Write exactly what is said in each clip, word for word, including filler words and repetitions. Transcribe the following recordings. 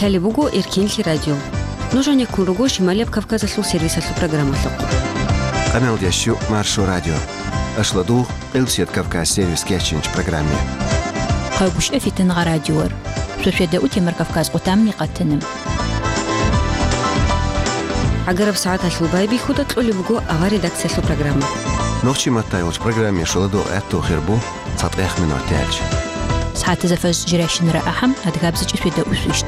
Лъалеб буго Эркенлъи радио. Нуж гьанеккун руго Шималияб Кавказалъул сервисалъул программалъухъ. Къамел ящу Маршо радио. Ашладугъ, Къилсият Кавказ сервис кечинч программе. Къагушев Фитнагъа радиор. Шошеда утемар Кавказ къутамни къатана. ГӀагараб сагӀаталъул байбихьуда кьолеб буго авар редакциялъул программа. Нохчи маттай вач программе шоладо гӀатту хирбу. ЦатӀех минут тӀаялъ. СагӀатазда фажр жирайщинара ахӀам, адгабзичӀи шведа усвищ.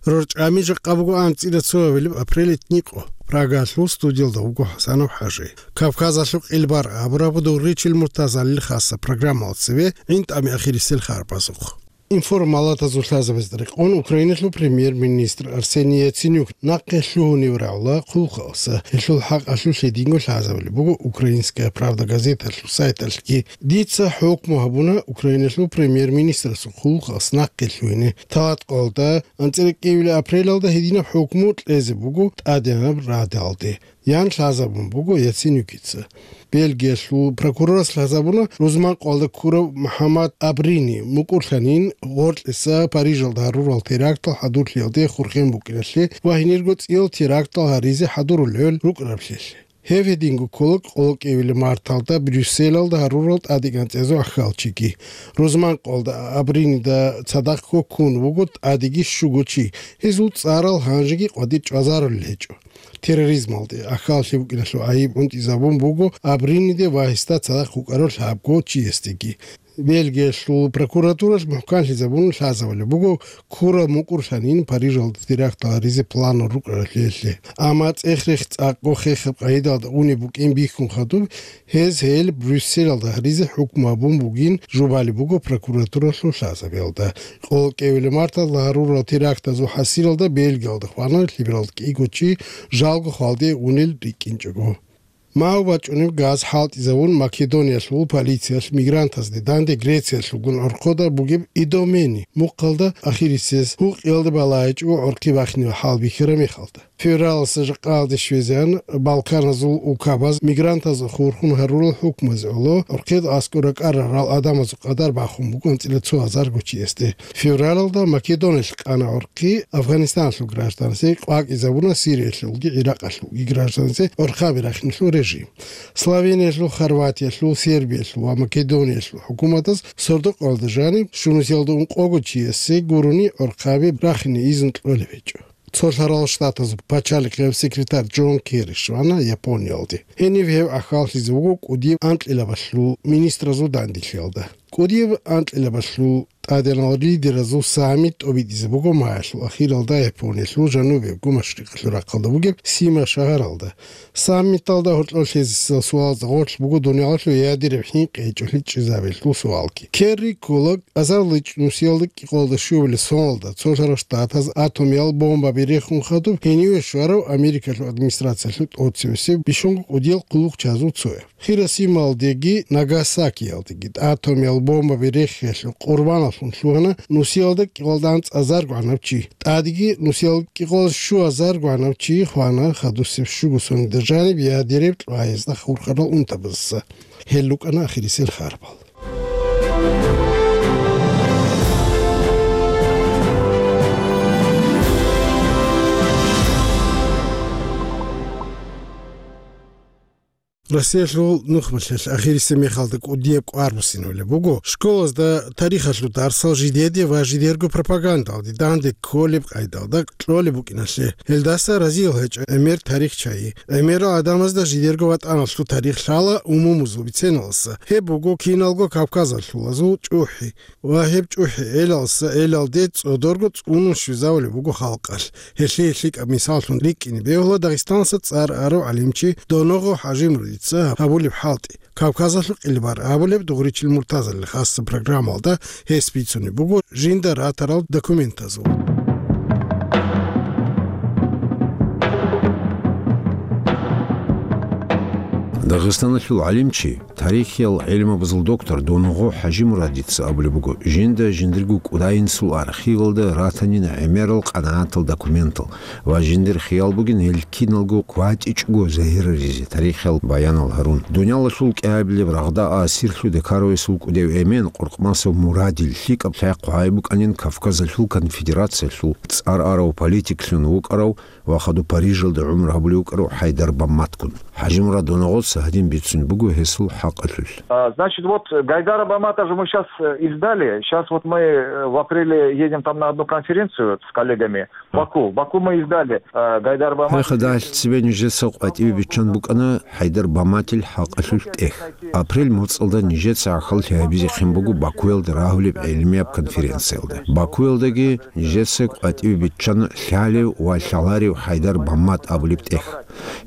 РорчӀами жакъа буго анцӀила цоабилеб апрелит никъо. Прагалъул студиялда вуго ХӀасанов ХӀажи. Кавказалъул къилбар абураб Дугъричил Муртазалил хаса программал цеве гӀинтӀами ахирисел харбазухъ. Информалатазул лъазабазда рекъон Украиналъул премьер-министр Арсений Яценюк нахъе лъугьунев рагӀула хъулухъалса, гьелъул хӀакъалъулъ гьединго лъазабулеб буго «Украинская правда» газеталъул сайталъги. Дица хӀукму гьабуна Украиналъул премьер-министрасул хъулухъалса нахъе лъугьине. Талаткъалда, анцӀила кӀиабилеб апрелалда гьединаб хӀукму кьезе буго ТӀадегӀанаб Радалде. Ян лъазабун буго Яценюкица. Бельгиялъул прокурорас лъазабуна рузманкъоялда ккурав МухӀаммад Абрини мукӀурлъанин гъоркьиса Парижалда гьарурал терактал хӀадурлъиялде хурхен букӀиналъе ва гьенирго цӀиял терактал гьаризе хӀадурулел рукӀараблъиялъе. Гьев гьединго ккола къоло кӀиабилеб марталда Брюсселалда гьарурал тӀадегӀанцӀазул ахьалчиги. Рузманкъоялда Абринида цадахъго ккун вуго тӀадеги щуго чи, гьезул цӀарал гьанжеги къватӀир чӀвазарулел гьечӀо. Терроризмалде ахьаллъи букӀиналъул гӀайиб унтӀизабун буго Абриниде ва гьесда цадахъ вукӀарав лъабго чиясдеги. Бельгиялъул прокуратуралъ мухӀканлъизабун лъазабулеб буго ккураб мукӀурлъанин Парижалда терактал гьаризе планал рукӀаралъиялъе. Амма цӀех-рех цӀакъго хехаб къагӀидалда унеб букӀин бихьун хадуб, гьез гьел Брюсселалда гьаризе хӀукму гьабун бугин жубалеб буго прокуратуралъул лъазабиялда. Къоло кӀиабилеб марталда гьарурал терактазул хӀасилалда Бельгиялда хвана лъабабилеб кӀиго чи жалго хвалде унел рикӀкӀинчӀого. Магьу бачӀунеб газ хӀалтӀизавун Македониялъул полициялъ мигрантазде данде Грециялъулгун гӀорхъода бугеб Идомени мухъалда ахирисез гьукъиялда балагьичӀого гӀорхъи бахинеб хӀал бихьараб мехалда. Февралалъа жакъаялде щвезегӀан Балканазул улкабаз мигрантаз хурхун гьарурал хӀукмазе гӀоло гӀорхъеда аскӀор ракӀарарал гӀадамазул къадар бахун буго анцӀила цо гьазарго чиясде. Февралалда Македониялъ къана гӀорхъи Афганистаналъул гражданасде, къвакӀизабуна Сириялъулги ГӀиракъалъулги гражданасде гӀорхъаби рахиналъул режим. Словениялъул, Хорватиялъул, Сербиялъул ва Македониялъул хӀукуматаз сордо-къоялда жаниб щунусиялда ункъого чиясе гурони гӀорхъаби рахине изну кьолеб гьечӀо. Цолъарал Штатазул пачалихъияб секретарь Джон Керри щвана Япониялде. Гьенив гьев ахьаллъизе вуго кӀудияб анкьилабалъул министразул данделъиялда. КӀудияб анкьилабалъул тӀадегӀанал лидеразул саммит тӀобитӀизе буго маялъул ахиралда Япониялъул жанубиябго машрикъалъул рахъалда бугеб Сима шагьаралда. Саммиталда гьоркьор лъезесел суалазда гъорлъ буго дуниялалъул ядераб хӀинкъи гьечӀолъи чӀезабиялъул суалги. Керри ккола азарличӀ нусиялда кӀикъоялда щуабилеб соналда цолъарал Штатаз атомиял бомбаби рехун хадуб гьениве щварав Америкалъул администрациялъул тӀоцевесев бищунго кӀудиял хъулухъчазул цояв. Хиросималдеги Нагасакиялдеги атомиял бомбаби рехиялъул къурбаналъун лъугьана нусиялда кӀикъоялда анцӀазарго гӀанав чи. ТӀадеги нусиялда кӀикъоялда щуазарго гӀанав чи хвана хадусеб щуго соналда жаниб ядераб кьвагӀазда хурхарал унтабазаса. Гьел рукӀана ахирисел харбал. Россиялъул нухмалъалъ ахирисеб мехалда кӀудияб кӀвар буссинабулеб буго школазда тарихалъул дарсал жидеде ва жидерго пропагандалде данде кколеб къайдалда кьолеб букӀиналъе. Гьелдаса разиял гьечӀо гӀемер тарихчаги. ГӀемерал гӀадамазда жидерго ватӀаналъул тарих лъала умумузул биценаласа. Гьеб буго киналго кавказалъулазул чӀухӀи. Ва гьеб чӀухӀи элалса элалде цӀодорго цӀунун щвезавулеб буго халкъалъ. Гьелъие лъикӀаб мисаллъун рикӀкӀине бегьула Дагъистаналъа цӀар арав гӀалимчи Доногъо ХӀажимуридица гьабулеб хӀалтӀи. Кавказалъул къилбар абулеб Дугъричил Муртазалил хасса программалда гьес бицунеб буго жинда ратарал документазул. Дагъистаналъул гӀалимчи, тарихиял гӀилмабазул доктор Донгъо ХӀажимурадица абулеб буго, жинда жиндирго кӀудайинсул архивалда ратанин гӀемерал къанагӀатал документал ва жиндир хиял бугин гьел киналго кватӀичӀого загьираризе тарихиял баянал гьарун. Дуниялалъул кӀиабилеб рагъда асирлъуде ккаравесул кӀудев эмен Къуркъмасов Мурадил лъикӀаб лъай хъвай букӀанин Кавказалъул конфедерациялъул цӀар арав политиклъун вукӀарав ва хадуб Парижалда гӀумру гьабулев вукӀарав ХӀайдар Бамматгун. ХӀажимурад Донгъоца гьадин бицун буго гьесул хӀакъалъулъ. А, значит, вот Гайдара Бамата же мы сейчас издали. Сейчас вот мы э, в апреле едем там на одну конференцию с коллегами. Баку. Баку мы издали э, Гайдара Бамата. Гьехъа дагьлъи цебе нижеца къватӀиве биччан букӀана ХӀайдар Баматил хӀакъалъулъ тӀех. Апрель моцӀалда нижеца гӀахьаллъи гьабизехъин буго Бакуялда рагьулеб гӀелмияб конференциялда. Бакуялдаги нижеца къватӀиве биччана лъалев ва лъаларев ХӀайдар Бамат абулеб тӀех.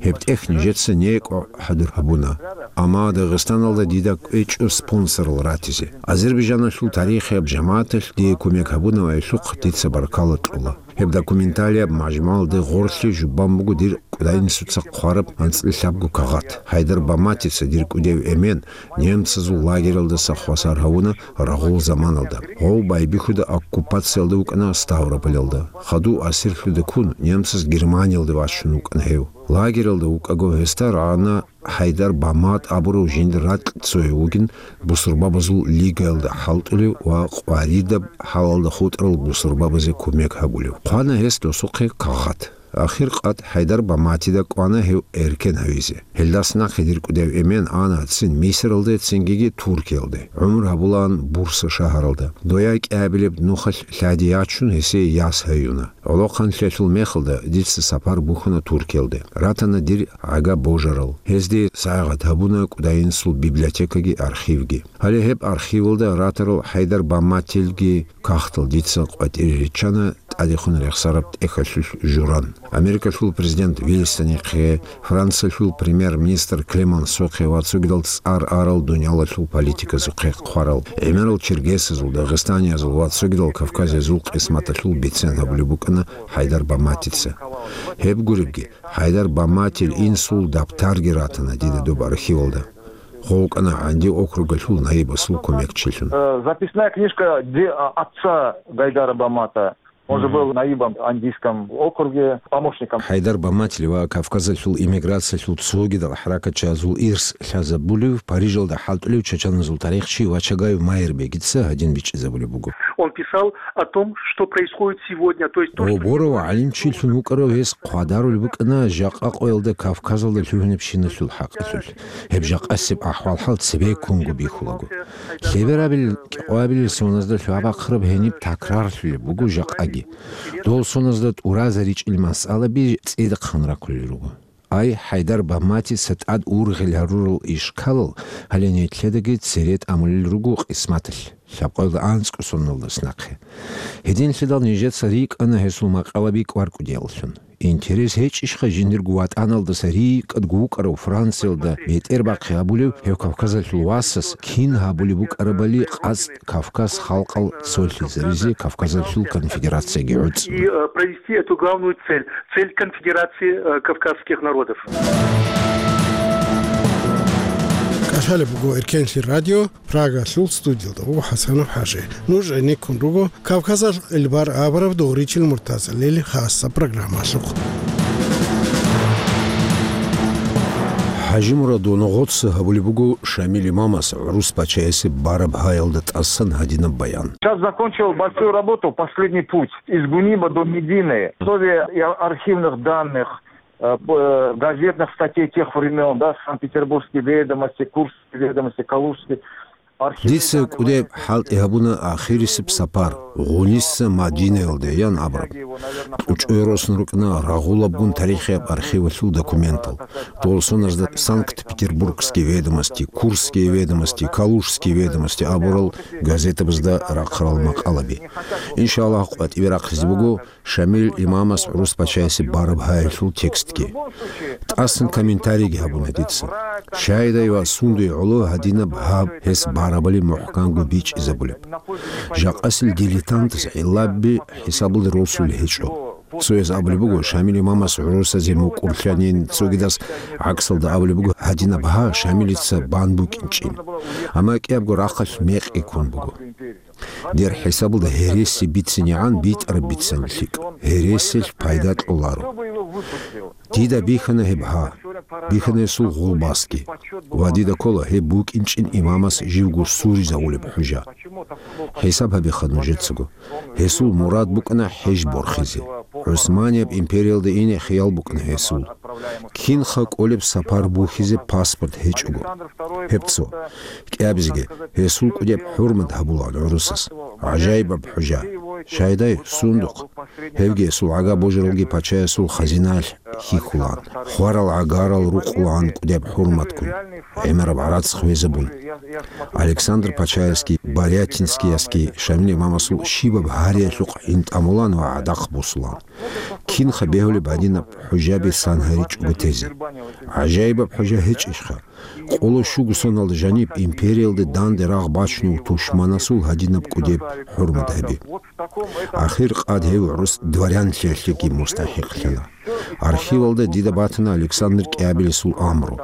Гьеб тӀех нижеца некӀо хӀадур гьабуна, амма Дагъистаналда дида кӀвечӀо спонсорал ратизе. Азербайджаналъул тарихияб жамагӀаталъ дие кумек гьабунаб гӀелъухъ дица баркала кьола. Гьеб документалияб мажмугӀалде гъорлъе жубан буго дир кӀудайинсуца хъвараб анцӀила лъабго кагъат. ХӀайдар Баматица дир кӀудев эмен немцазул лагералдаса хвасар гьавуна рагъул заманалда. Гъов байбихьуда оккупациялда вукӀана Ставрополалда. Хадув асирлъуде ккун, немцаз Германиялде вачун вукӀана гьев. Лагералда вукӀаго гьесда рагӀана ХӀайдар Бамат абурав жиндир ракь цояв вугин бусурбабазул лигаялда хӀалтӀулев ва къваридаб хӀалалда хутӀарал бусурбабазе кумек гьабулев. Хъвана гьес досухъе кагъат. Ахир къад ХӀайдар Баматида кӀвана гьев эркен гьавизе. Гьелдас нахъе дир кӀудев эмен ана цин Мисралде, цингиги Туркиялде. ГӀумру гьабулаан Бурса шагьаралда. Дояй кӀиабилеб нухалъ лъади ячун, гьесие яс гьаюна. ГӀолохъанлъиялъул мехалда дица сапар бухьана Туркиялде. Ратана дир гӀага божарал. Гьезде сайгъат гьабуна кӀудайинсул библиотекаги архивги. Гьале гьеб архивалда ратарал ХӀайдар Баматилги кагътал дица къватӀире риччана тӀадехун рехсараб тӀехьалъулъ журан. Америкалъул президент Вильсонихъе, Франциялъул премьер-министр Клемансохъе ва цогидал цӀар арал дуниялалъул политиказухъе хъварал, гӀемерал черкесазул, дагъистаниязул ва цогидал кавказиязул къисматалъул бицен гьабулеб букӀана ХӀайдар Баматица. Гьеб гуребги, ХӀайдар Баматил инсул дабтарги ратана дида доб архивалда. Гъов вукӀана ГӀанди округалъул наибасул кумекчилъун. Э, Записная книжка де- а- отца Гайдара Бамата. Он же был наибом в Андийском округе, помощником. ХӀайдар Баматил ва Кавказалъул эмиграциялъул цогидал хӀаракатчиязул ирс лъазабулев, Парижалда хӀалтӀулев чачаназул тарихчи Вачагаев Майрбегица гьадин бичӀчӀизабулеб буго. Он писал о том, что происходит сегодня, то есть то, что... Оборов гӀалимчилъун вукӀарав гьес хъвадарулеб букӀана жакъа къоялда Кавказалда лъугьунебщиналъул хӀакъалъулъ. Гьеб жакъасеб ахӀвал-хӀал цебеккунго бихьулаго. Лъеберабил, кӀикъоябилел соназда лъугьа-бахъараб гьениб такрарлъулеб буго жакъаги. Дол соназда тӀуразаричӀел масъалаби цӀидахъан рахъулел руго. Ай, ХӀайдар Баматица тӀад ургъел гьарурал ишкалал гьале нилъедаги цере тӀамулел руго къисматалъ. Лъабкъоялда анцӀго соналдас нахъе. Гьединлъидал нижеца рикӀкӀана гьесул макъалаби кӀвар-кӀудияллъун. Интерес гьечӀищха жиндирго ватӀаналдаса рикӀкӀадго вукӀарав Франциялда бетӀербахъи гьабулев гьев Кавказалъул васас кин гьабулеб букӀарабали къацӀ Кавказ халкъал цолъизаризе Кавказалъул конфедерацияги гӀуцӀун? И э, провести эту главную цель, цель конфедерации э, кавказских народов. КӀалъалеб буго Эркенлъи радио, Прагалъул студиялда вуго ХӀасанов ХӀажи. Нуж гӀенеккун руго Кавказалъ къилбар абураб догъричил Муртазалил хасаб программалъухъ. ХӀажимурад Донгъоца гьабулеб буго Шамил имамас гӀурус пачаясе бараб гьаялда тӀасан гьадинаб баян. Сейчас закончил большую работу, последний путь, из Гуниба до Медины. Условия и архивных данных, э, п- э, газетных статей тех времен, да, Санкт-Петербургские ведомости, Курские ведомости, Калужские. Дица кӀудеб хӀалтӀи гьабуна ахирисеб сапар, Гъуниса Мадинаялде ян абураб. КьучӀой росун рукӀана рагъулабгун тарихияб архивалъул документал. Дол соназда Санкт-Петербургские ведомости, Курские ведомости, Калужские ведомости абурал газетабазда рахъарал макъалаби. Иншаллагь, къватӀибе рахъизе буго Шамил имамас гӀурус пачаясе бараб гьаялъул текстги. ТӀасан комментарийги гьабуна дица. Щайдай ва сундуй гӀоло гьадинаб гьаб гьес барабали мухӀканго бичӀчӀизабулеб. Жакъасил дилетантас гӀиллаби хӀисабалда росулел гьечӀо. Цояз абулеб буго, Шамил имамас гӀурусазе мукӀурлъанин, цогидас гӀаксалда абулеб буго, гьадинаб гьа Шамилица бан букӀинчӀин. Амма кӀиябго рахъалъ мекъи ккун буго. Дир хӀисабалда гьереси бицинегӀан битӀараб бицани лъикӀ, гьересилъ пайда кьоларо. Дида бихьана гьеб гьа, бихьана гьесул гъулбасги. Ва дида ккола гьеб букӀинчӀин имамас живго суризавулеб хӀужа. ХӀисаб гьабиха нужецаго. Гьесул мурад букӀана хӀеж борхизе. ГӀусманияб империялда ине хиял букӀана гьесул. Кинха кӀолеб сапар бухьизе паспорт гьечӀого. Гьеб цо. КӀиабизеги гьесул кӀудеб хӀурмат гьабулаан гӀурусас. ГӀажаибаб хӀужа. Шайдай, сундухъ. Гьевги гьесул гӀага божаралги пачаясул хазинаялъ хьихьулаан. Хварал гӀагарал рукъулаан кӀудеб хӀурматккун, гӀемераб гӀарац хвезабун. Александр пачаясги, Барятинскиясги Шамил имамасул щибаб гьариялъухъ гӀинтӀамулаан ва гӀадахъ босулаан. Кинха бегьулеб гьадинаб хӀужаби сан гьаричӀого тезе? ГӀажаибаб хӀужа гьечӀищха? Къоло щуго соналда жаниб империялде данде рагъ бачунев тушманасул гьадинаб кӀудеб хӀурмат гьаби. Ахир къад гьев гӀурус дворянлъиялъеги мустахӀикълъана. Архивалда дида батана Александр кӀиабилесул амру.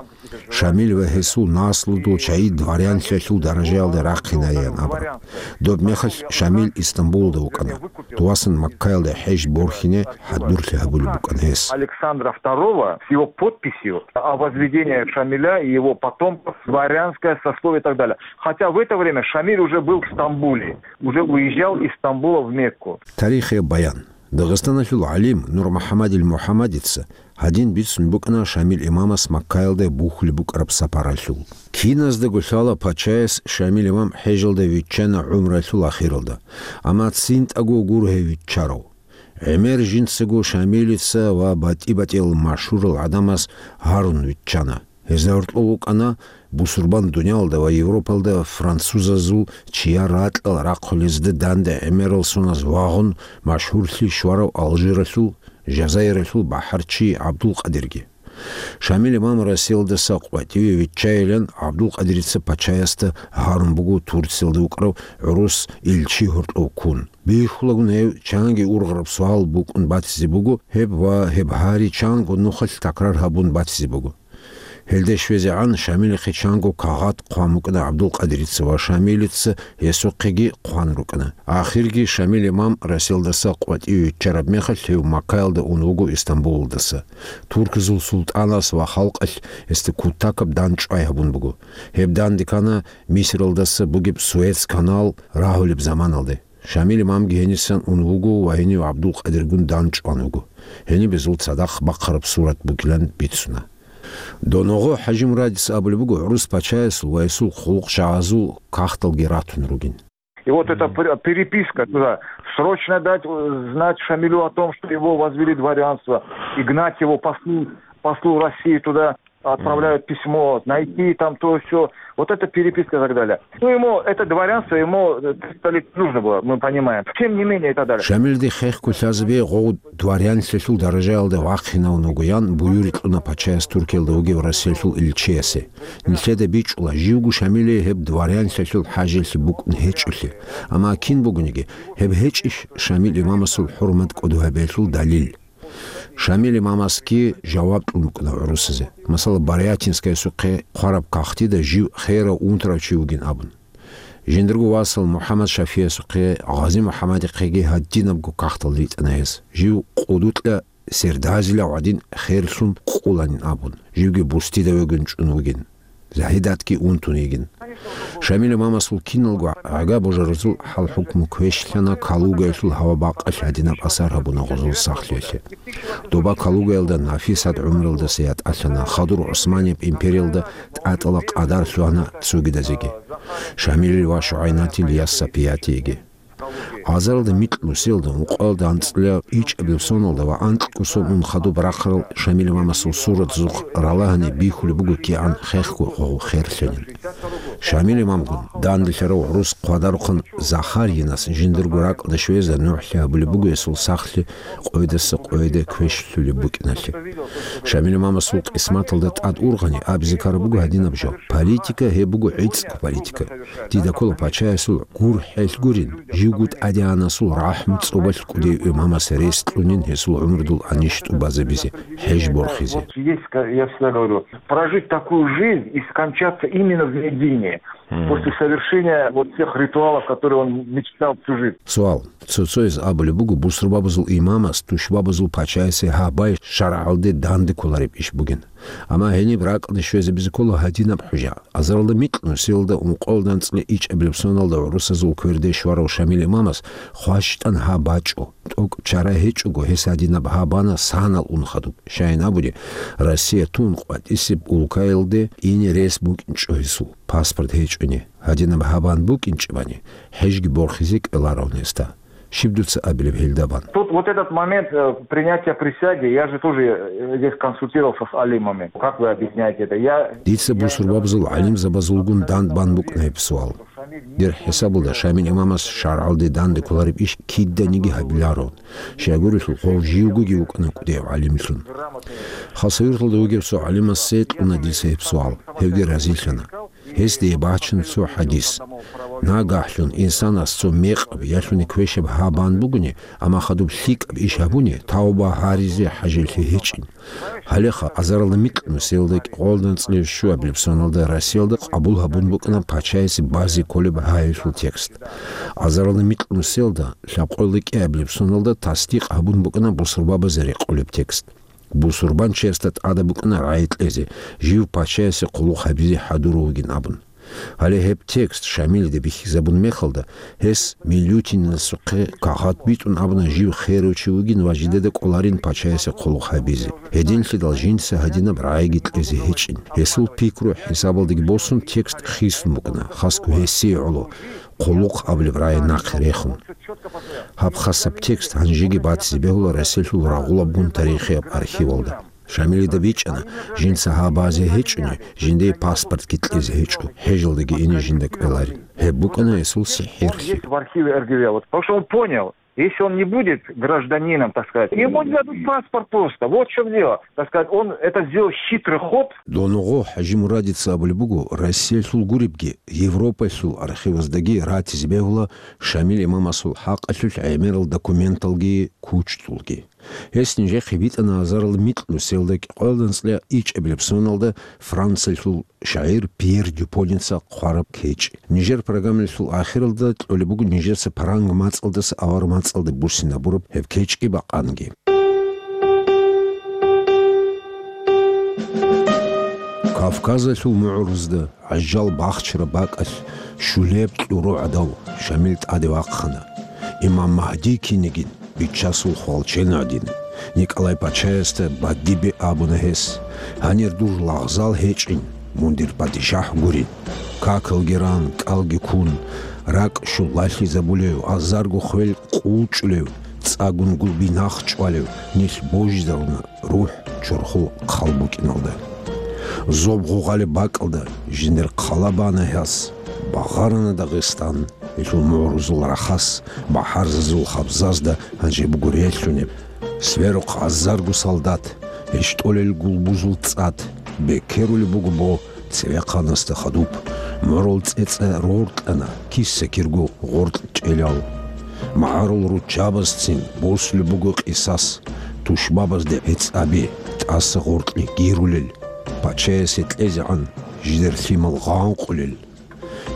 Шамил ва гьесул наслудул чагӀи дворянлъиялъул даражаялда рахъинаян абураб. Доб мехалъ Шамил Истамбулалда вукӀана. Дувасан Маккаялда хӀеж борхине хӀадурлъи гьабулеб букӀана гьес. Александра второго с его подписью о возведении Шамиля и его потомков в дворянское сословие и так далее. Хотя в это время Шамиль уже был в Стамбуле, уже уезжал из Стамбула в Мекку. Тарихияб баян. Дагъистаналъул гӀалим Нурмухьаммадил МухӀаммадица гьадин бицун букӀана Шамил имамас Маккаялда бухьулеб букӀараб сапаралъул. Киназдаго лъала пачаяс Шамил имам хӀежалда виччана гӀумралъул ахиралда, амма цинтӀаго гуро гьев виччарав. ГӀемер жинцаго Шамилица ва батӀи-батӀиял машгьурал гӀадамаз гьарун виччана. Гьезда гьоркьов вукӀана бусурбан дуниялалда ва Европалда французазул чияр ракьал рахъулезда данде гӀемерал соназ вагъун машгьурлъи щварав Алжиралъул, Жазаиралъул бахӀарчи ГӀабдулкъадирги. Шамил имам Россиялдаса къватӀиве виччайилан ГӀабдулкъадирица пачаясда гьарун буго Турциялда вукӀарав гӀурус илчи гьоркьов ккун. Бихьулагун гьев чанги ургъараб суал букӀун батизе буго гьеб ва гьеб гьари чанго нухалъ такрар гьабун батизе буго. Гьелде щвезегӀан Шамилихъе чанго кагъат хъван букӀана ГӀабдулкъадирица ва Шамилица гьесухъеги хъван рукӀана. Ахирги Шамил имам Россиялдаса къватӀиве виччараб мехалъ гьев Маккаялда ун вуго Истамбулалдаса. Туркизул султӀанас ва халкъалъ гьесда кутакаб дандчӀвай гьабун буго. Гьеб данде ккана Мисралдаса бугеб Суэц канал рагьулеб заманалде. Шамил имамги гьенисан ун вуго ва гьенив ГӀабдулкъадиргун дандчӀван вуго. Гьениб гьезул цадахъ бахъараб сурат бугилан бицуна. Доногъо ХӀажимурадица абулеб буго, гӀурус пачаясул ва гьесул хъулухъчагӀазул кагъталги ратун ругин. И вот эта пер- переписка туда, срочно дать э, знать Шамилю о том, что его возвели в дворянство, и гнать его послу, послу России туда, отправляют письмо, найти там то все. Вот эта переписка и так далее. Ну, ему это дворянство, ему э, триста лет нужно было, мы понимаем. Тем не менее, и так далее. Шамилде хехго лъазабе гъов дворянлъиялъул даражаялда вахъинавун вугоян буюрикь кьуна пачаяс Туркиялда вугев Россиялъул илчиясе. Нилъеда бичӀчӀула, живго Шамилие гьеб дворянлъиялъул хӀажалъи букӀун гьечӀолъи. Амма кин бугониги, гьеб гьечӀищ Шамил имамасул хӀурмат кӀодо гьабиялъул далил? Шамил имамасги жаваб кьун букӀана гӀурусазе. Масала, Барятинскаясухъе хъвараб кагътида жив херав унтарав чи вугин абун. Жиндирго васал МухӀаммад ШафигӀасухъе, Гъази МухӀаммадихъеги гьадинабго кагътал ритӀана гьес. Жив къудукьа сердазилав гӀадин херлъун къуланин абун, живги бустида вегун чӀун вугин. Загьидатги унтун йигин. Шамил имамасул киналго гӀага божаразул хӀал-хӀукму квешлъана Калугаялъул гьава-бакъалъ гьадинаб асар гьабуна гъозул сахлъиялъе. Доба Калугаялда Нафисат гӀумруялдаса ятӀалъана, хадур ГӀусманияб империялда тӀатӀала къадар лъугьана цогидазеги. Шамилил ва ШугӀайнатил яс Сапиятиеги. Азаралда микьнусиялда, ункъоялда анцӀила ичӀабил соналда ва анкьго сон ун хадуб рахъарал Шамил имамасул суратзухъ ралагьани бихьулеб буго кигӀан хехго гъов херлъанин. Шамил имамгун данделъарав гӀурус хъвадарухъан Захаринас жиндирго ракӀалде щвезе нугӀлъи гьабулеб буго гьесул сахлъи къойдаса къойде квешлъулеб букӀиналъе. Шамил имамасул къисматалда тӀад ургъани абизе ккараб буго гьадинаб жо: политика гьеб буго гӀицӀго политика. Дида ккола пачаясул гурхӀел гурин, живго тӀадегӀанасул рахӀму цӀобалъ кӀудияв имамас рес кьунин гьесул гӀумрудул анищ тӀубазабизе, хӀеж борхизе. Вот есть, ка-, я всегда говорю, прожить такую жизнь и скончаться именно в Медине, после совершения вот тех ритуалов, которые он мечтал всю жизнь. Суал. Цо-цояз абулеб буго бусурбабазул имамас тушбабазул пачаясе гьабай шаргӀалде данде кколареб иш бугин. Амма гьениб ракӀалде щвезабизе ккола гьадинаб хӀужа. Азаралда микьнусиялда ункъоялда анцӀила ичӀабилеб соналда гӀурусазул кверде щварав Шамил имамас хващтӀан гьаб бачӀо. ТӀокӀ чара гьечӀого, гьес гьадинаб гьаб бана санал ун хадуб. Щайин абуни, Россия тун къватӀисеб улкаялде ине рес букӀинчӀо гьесул, паспорт гьечӀони. Гьадинаб гьаб бан букӀинчӀебани, хӀежги борхизе кӀвеларавун гьесда. Щиб дуца абилеб гьелда бан? Тут вот этот момент, э, принятия присяги, я же тоже, э, здесь консультировался с алимами. Как вы объясняете это? Я, Дица я бусурбабазул гӀалимзабазулгун дандбан букӀна гьеб суал. Дир хӀисабалда Шамил имамас шаргӀалде данде кколареб иш киданиги гьабиларо. Щайгурелъул гъов живгоги вукӀана кӀудияв гӀалимлъун. Хасавюрталда вугев цо гӀалимасе кьуна дица гьеб суал, гьевги разилъана. Гьесде бачун цо хӀадис. Нагагьлъун инсанас цо мекъаб ялъуни квешаб гьаб бан бугони, амма хадуб лъикӀаб иш гьабуни, тавба гьаризе хӀажалъи гьечӀин. Гьалеха азаралда микьнусиялда кӀикъоялда анцӀила щуабилеб соналда Россиялда къабул гьабун букӀана пачаясе базе кколеб гьайилъул текст. Азаралда микьнусиялда лъабкъоялда кӀиабилеб соналда тасдикъ гьабун букӀана бусурбабазе рекъолеб текст. Бусурбанчиясда тӀадаб букӀана рагӀи кьезе, жив пачаясе хъулухъ гьабизе хӀадурав вугин абун. Гьале гьеб текст Шамилида бихьизабун мехалда, гьес Милютинасухъе кагъат битӀун абуна жив херав чи вугин ва жидеда кӀоларин пачаясе хъулухъ гьабизе. Гьединлъидал жинца гьадинаб рагӀиги кьезе гьечӀин. Гьесул пикру хӀисабалдаги босун текст хисун букӀана, хасго гьесие гӀоло, хъулухъ абулеб рагӀи нахъе рехун. Гьаб хасаб текст гьанжеги батизе бегьула Россиялъул рагъулаб бун тарихияб архивалда. Шамилида бичӀчӀана, жинца гьаб базе гьечӀони, жиндие паспортги кьезе гьечӀо, хӀежалдаги ине жинда кӀвеларин. Гьеб букӀана гьесул сихӀирлъи. Есть в архиве РГВ, вот, потому что он понял, если он не будет гражданином, так сказать, ему не дадут паспорт просто. Вот в чём дело. Так сказать, он это сделал хитрый ход. Доногъо ХӀажимурадица абулеб буго, Россиялъул гуребги, Европаялъул архиваздаги ратизе бегьула Шамил имамасул хӀакъалъулъ гӀемерал документалги кучӀдулги. Гьес нижехъе битӀана азарал микьнусиялда кӀикъоялда анцӀила ичӀабилеб соналда Франциялъул шагӀир Пьер Дюпоница хъвараб кечӀ. Нижер программалъул ахиралда кьолеб буго нижеца паранг мацӀалдаса авар мацӀалде буссинабураб гьеб кечӀги бакъанги. Кавказалъул мугӀрузда гӀажал бахчараб бакӀалъ щулеб кьуру гӀадав Шамил тӀаде вахъана. Имам Магьди кинигин, Бичасул хвалчен гӀадин, Николай пачаясда бадибе абуна гьес: «Гьанир дур лагъзал гьечӀин, мун дир падишахӀ гурин. Какалги ран, кӀалги ккун, ракӀ щулалъизабулев, азарго хвел къулчӀулев, цӀагун гулби нахъ чӀвалев, нилъ божизаруна, рухӀ чорхол хъал букӀиналда. Зоб гъугъалеб бакӀалда жиндир хъала бана гьас, багъарана Дагъистан, гьелъул мугӀрузул рахас, бахӀарзазул хабзазда гьанже буго релълъунеб. Сверухъ азарго солдат, гьечӀолел гулбузул цӀад, бекерулеб буго бо цевехъанасда хадуб, морул цӀецӀа роркьана, киса-кирго гъоркь чӀелал. МагӀарул руччабазцин босулеб буго къисас, тушбабазде гӀицӀаби, тӀаса гъоркье гирулел, пачаясе кьезегӀан жидер лъимал гъанкъулел.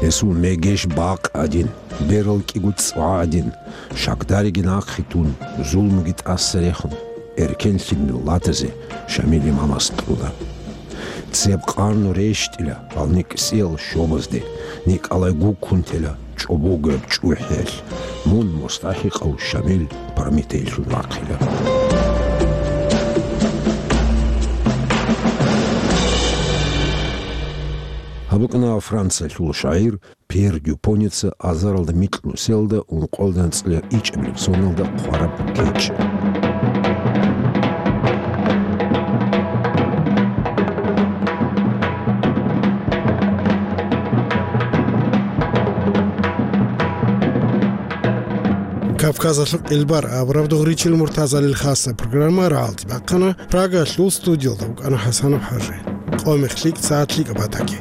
Гьесул мегеш бакъ гӀадин, берал кӀиго цӀва гӀадин, шагьдариги нахъе тун, зулмуги тӀаса рехун, эркенлъи миллатазе Шамил имамас кьуна. Цеб къарну рещтӀила гьал никӀсиял щобазде, Николай гуккун тела чӀобогояб чӀухӀиялъ, мун мустахӀикъав Шамил Прометейлъун вахъила. Гьаб букӀана Франциялъул шагӀир Пьер Дюпоница азаралда микьнусиялда ункъоялда анцӀила ичӀабилеб соналда хъвараб кечӀ. Кавказалъул къилбар абураб дугъричил Муртазалил хасаб программа рагӀалде бахъана. Прагалъул студиялда вукӀана ХӀасанов ХӀажи. Къо-мех лъикӀ, сагӀат лъикӀаб батаги.